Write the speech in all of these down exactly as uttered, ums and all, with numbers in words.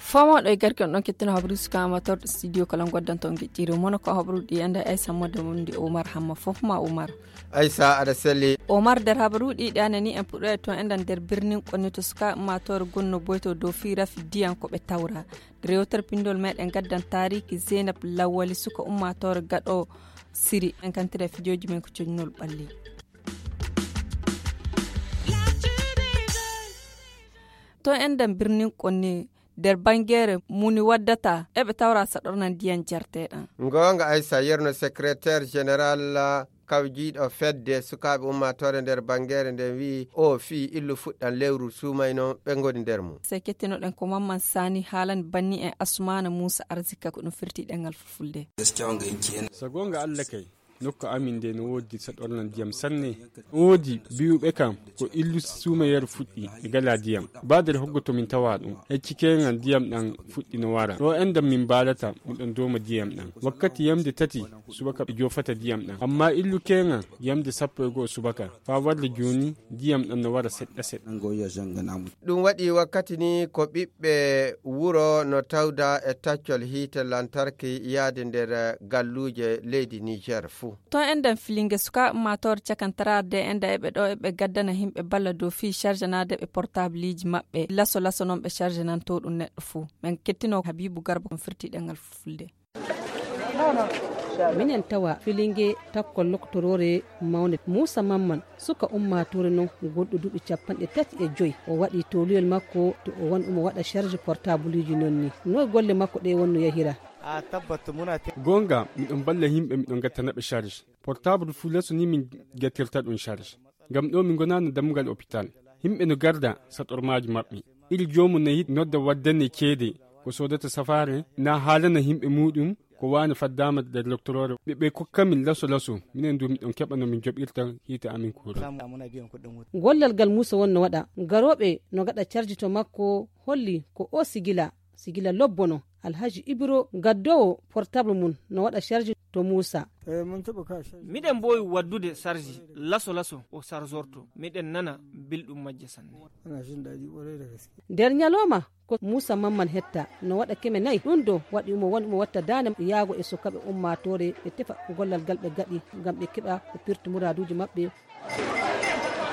Fomooɗo e garki on ɗon kettino habaruuji suka amatorɗo studio kala ngoddanto on geƴƴiiru mono ko habaruuji ɗi enda aysa modde mum ndi omar hamma fof ma omar. Aysa aɗa selli. Omar nder habaruuji ɗi ɗi anani en puɗɗo e toon enɗan nder birnin konni to suka ummatore gonno boyto dow fii rafi diyan ko ɓe tawra. Rewtere pindol meɗen gaddan taariki zeynab lawwali suka ummatore gaɗo siri en kantira e fijooji men ko coñnol ɓalli. To enɗan birnin konni nder bangeere muni waddata eɓe tawra saɗorna ndiyan jarteɗan. Goonga aysa yerno secrétaire général kawjiiɗo fedde sukaaɓe ummaatoore nder bangeere nden wi'i o fii illu fuɗɗan lewru suumayno ɓe ngoni nder mum. Sey kettinoɗen ko mamman sani haalani banni en asmaana muusa arzika ko ɗum firti ɗengal fulfulde. So goonga allah kay, nokku amin nde no woodi saɗorna ndiyam sanne. No woodi biyuɓe kam ko illu suumayeeru fuɗɗi e gala ndiyam. Baadere hoggo to min tawa ɗum hecci keŋal ndiyam ɗam fuɗɗi no wara ɗo enɗam min mbaalata miɗon dooma ndiyam ɗam wakkati yamde tati subaka ɓe joofata ndiyam ɗam amma illu keŋal yamde sappo e go'o subaka faa warde jooni ndiyam ɗam no wara seɗɗa seɗɗa. Ɗum waɗi wakkati ni ko ɓiɓɓe wuro no tawda e taccol hiite lantarki yaade nder galluuje leydi niger fuu. To enɗan filinge sukaaɓe ummaatoore cakantaraade enɗa eɓe ɗo eɓe gaddana yimɓe balla dow fii charganaade ɓe portableji maɓɓe laso laso noon ɓe chargenanto ɗum neɗɗo fuu. Men kettino habibu garba kon firti ɗengal fulfulde. Minen tawa filinge takkol loktoroore mawne muusa mamman suka ummaatoore noon gonɗo duuɓi capanɗe tati e joyi o waɗi towluyel makko to o woni omo waɗa charge portableji noon ni. Noy golle makko ɗe wonno yahira? Goonga miɗon balla yimɓe miɗon gattanaɓe charge. Portable fuu leso ni min gattirta ɗum charge ngam ɗo min ngonaano dammugal hôpital. Yimɓe no garda saɗormaaji maɓɓe iri joomum no yiɗi nodda waddane ceede ko soodata safaare na haalana yimɓe muuɗum ko waane faddaama nder loktoroore ɓe ɓe kokkamin laso laso. Minen du miɗon keɓa no min joɓirta hiite amin kuura. Gollal ngal muusa wonno waɗa garooɓe no gaɗa carji to makko holli ko o sigila sigila lobbono. Alhaji ibiro gaddowo portable mum no waɗa charge to muusa. Miɗen mboowi waddude sarji laso laso o sarzorto miɗen nana belɗum majje sanne. Nder ñalooma ko muusa mamman hetta no waɗa keme nayi ɗum do waɗi mo woni mo watta daane yaago e sukaɓe ummaatoore ɓe tefa gollal ngal ɓe gaɗi ngam ɓe keɓa ko pirti muraaduuji maɓɓe.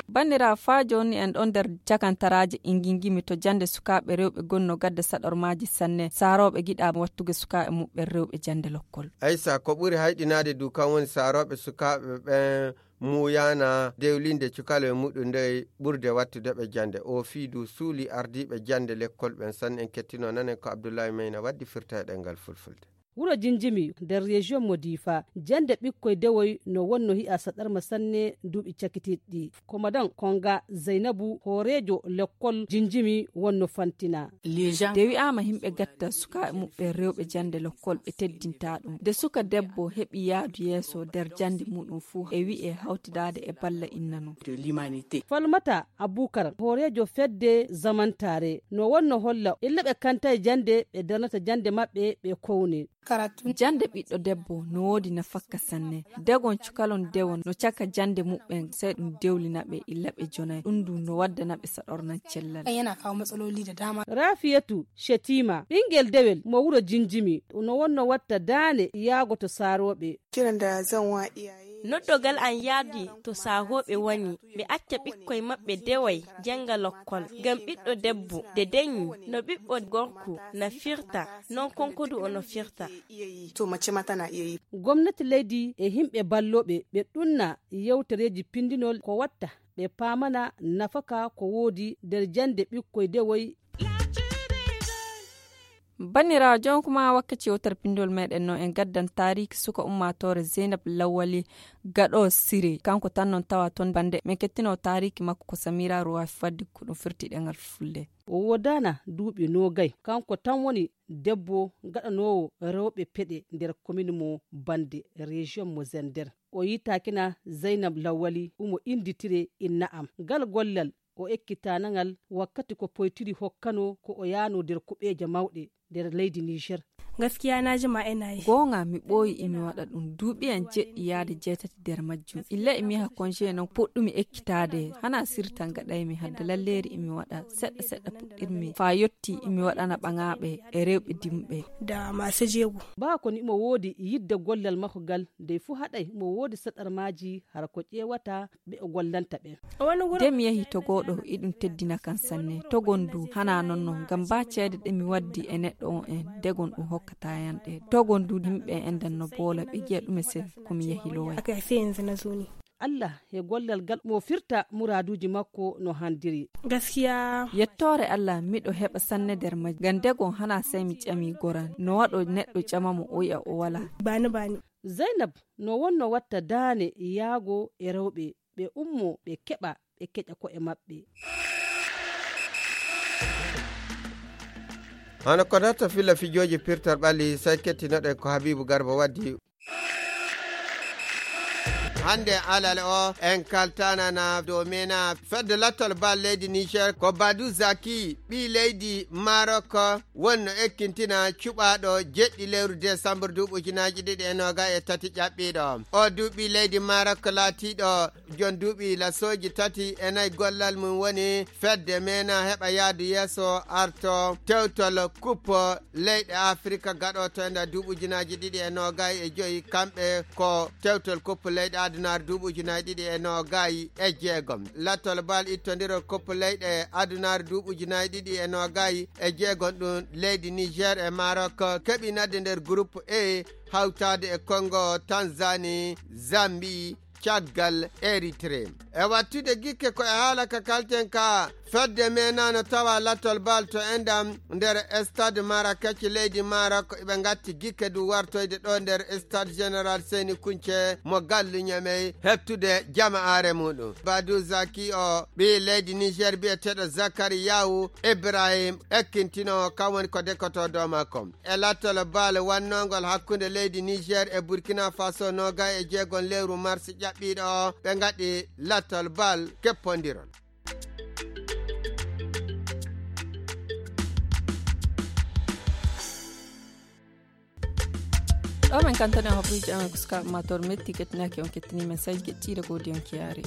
Banndiraaɓe faa jooni en ɗon nder cakantaraaji ingingimi to jannde sukaaɓe rewɓe gonno gadde saɗormaaji sanne saarooɓe giɗaaɓe wattugo sukaaɓe muɓɓen rewɓe jannde lokkol. Aysa ko ɓuri hayɗinaade du kan woni saarooɓe sukaaɓe ɓen muuyaana dewlinde cukalowe muɗum nde ɓurde wattude ɓe jannde o fii du suuli ardiiɓe jannde lekkol ɓen sanne en kettino nanen ko abdullahi mayna waddi firta e ɗemngal fulfulde. Wuro jinjimi nder région mo difa jannde ɓikkoy dewoy no wonno hi'a saɗarma sanne duuɓi cakitiɗɗi. Komadan konga zaynabu hooreejo lekkol jinjimi wonno fantina. Nde wi'aama yimɓe gatta sukaaɓe muɓɓen rewɓe jannde lokkol ɓe teddinta ɗum nde suka debbo heɓi yaadu yeeso nder jannde muɗum fuu e wi'e hawtidaade e balla inna non. Falmata abukar hooreejo fedde zamantaare no wonno holla illa ɓe kantay jannde ɓe darnata jannde maɓɓe ɓe kowne. Jannde ɓiɗɗo debbo no woodi nafakka sanne. Degon cukalon dewon no caka jannde muɓɓen sey ɗum dewlina ɓe illa ɓe jonay ɗum ndu no waddana ɓe saɗornan cellal. Raafiyatu shetima ɓinngel dewel mo wuro jinjimi no wonno watta daane yaago to saarooɓe. Noddogal an yaadi to saahooɓe woni ɓe acca ɓikkoy maɓɓe deway jannga lokkol ngam ɓiɗɗo debbo de deñi no ɓiɓɓo gorko na firta non konkodu o no firta. Gomnati leydi e yimɓe ballooɓe ɓe ɗunna yewtereeji pindinol ko watta ɓe paamana nafaka ko woodi nder jannde ɓikkoy dewoy. Banniraawo jonkuma wakkati yewtere pindol meɗen no en gaddan taariki suka ummaatoore zeynab lawwali gaɗo siri kanko tan non tawa toon bannde men kettino taariki makko ko samira ruwafi faddi ko ɗum firti ɗengal fulde. O woodana duuɓi noogay kanko tan woni debbo gaɗanoowo rewɓe peɗe nder komin mo bannde région mo zender. O yitaakina zeynab lawwali umo innditire inna am ngal gollal. o ekkitanangal wakkati ko poytiri hokkano ko o yaano nder kuɓeeje mawɗe nder leydi Niger. Gaskiya na jima ina yi. Goonga mi ɓooyi imi waɗa ɗum. Duuɓi en jeɗɗi yaade jeetati nder majjum. Illa imi yaha konje non puɗɗumi ekkitaade. Hana sirtan gaɗaymi hadde lalleeri imi waɗa seɗɗa seɗɗa puɗɗirmi. Faa yotti imi waɗana ɓaŋaaɓe e rewɓe dimɓe. Da masu jego. Baa ko ni mo woodi yidde gollal makko gal, dey fuu haɗay mo woodi saɗarmaaji hara ko ƴeewata ɓe o gollanta ɓen. Nde mi yahi Togo ɗo, iɗum teddina kan sanne. Togon du hana non non, ngam ba ceede ɗe mi waddi e neɗɗo on en, degon ɗum hokkata yan ɗe. Togon du himɓe en dan no boola, ɓe giya ɗume sen ko mi yahi loway. Aka sai yanzu na zo ne. Allah he gollal gal mo firta muraaduuji makko no handiri. Gaskiya. Yettoore Allah, miɗo heɓa sanne nder majji. Ngam degon hana sai mi ƴami goran. No waɗo neɗɗo ƴama mo o yi'a o wala. Bani bani. Zainab no wonno watta daane yaago e rewɓe, ɓe ummo, ɓe keɓa, ɓe keƴa ko'e maɓɓe. Hano ko darta filla fijooji pirtal ɓalli, sai kettinoɗen ko Habibu Garba waddi. Hande alal o, en kaltanana dow mena fedde lattol bal leydi Niger ko Badu Zaki, ɓii leydi Marok, wonno ekkintina cuɓaaɗo jeɗɗi lewru décembre duuɓi ujunaaji ɗiɗi e noga e tati ƴaɓɓiiɗo. O duuɓi leydi Marok laatiiɗo jon duuɓi lasooji tati e nayi gollal mum woni fedde mena heɓa yaadu yeeso arto tewtol kuppo leyɗe Afrika gaɗotoynda duuɓi ujunaaji ɗiɗi e noga e joyi. Kamɓe ko tewtol kuppo leyɗe adunaare duuɓi ujunaaji ɗiɗi e noga e jeegom. Lattol bal ittondirol kuppo leyɗe adunaare duuɓi ujunaaji ɗiɗi e noga e jeegom ɗum leydi Niger e Marok keɓi nadde nder groupe E hawtaade e Congo, Tanzanie, Zambie, caggal Eritrea. E wattude gikke ko e haala ka kalten ka fedde menano tawa lattol bal to endam nder stade Marrakech leydi Maroc. Ɓe ngatti gikke du wartoyde ɗo nder stade général Seyni Kunce mo gallu Ñamey heɓtude jama'aare muɗum. Badu Zaki o ɓii leydi Niger biyeteeɗo Zakari Yawu Ibrahim ekkintinoowo kam woni ko dekoto dow makko. E lattol bal wannongol hakkunde leydi Niger e Burkina Faso noga e jeegom lewru mars ƴaɓɓiiɗo o, ɓe ngaɗi lattol bal keppondirol. Ɗo men kantane hobruji amen ko sukaɓe mator metti kettinaki on kettini men saji kettire godi on kiyare.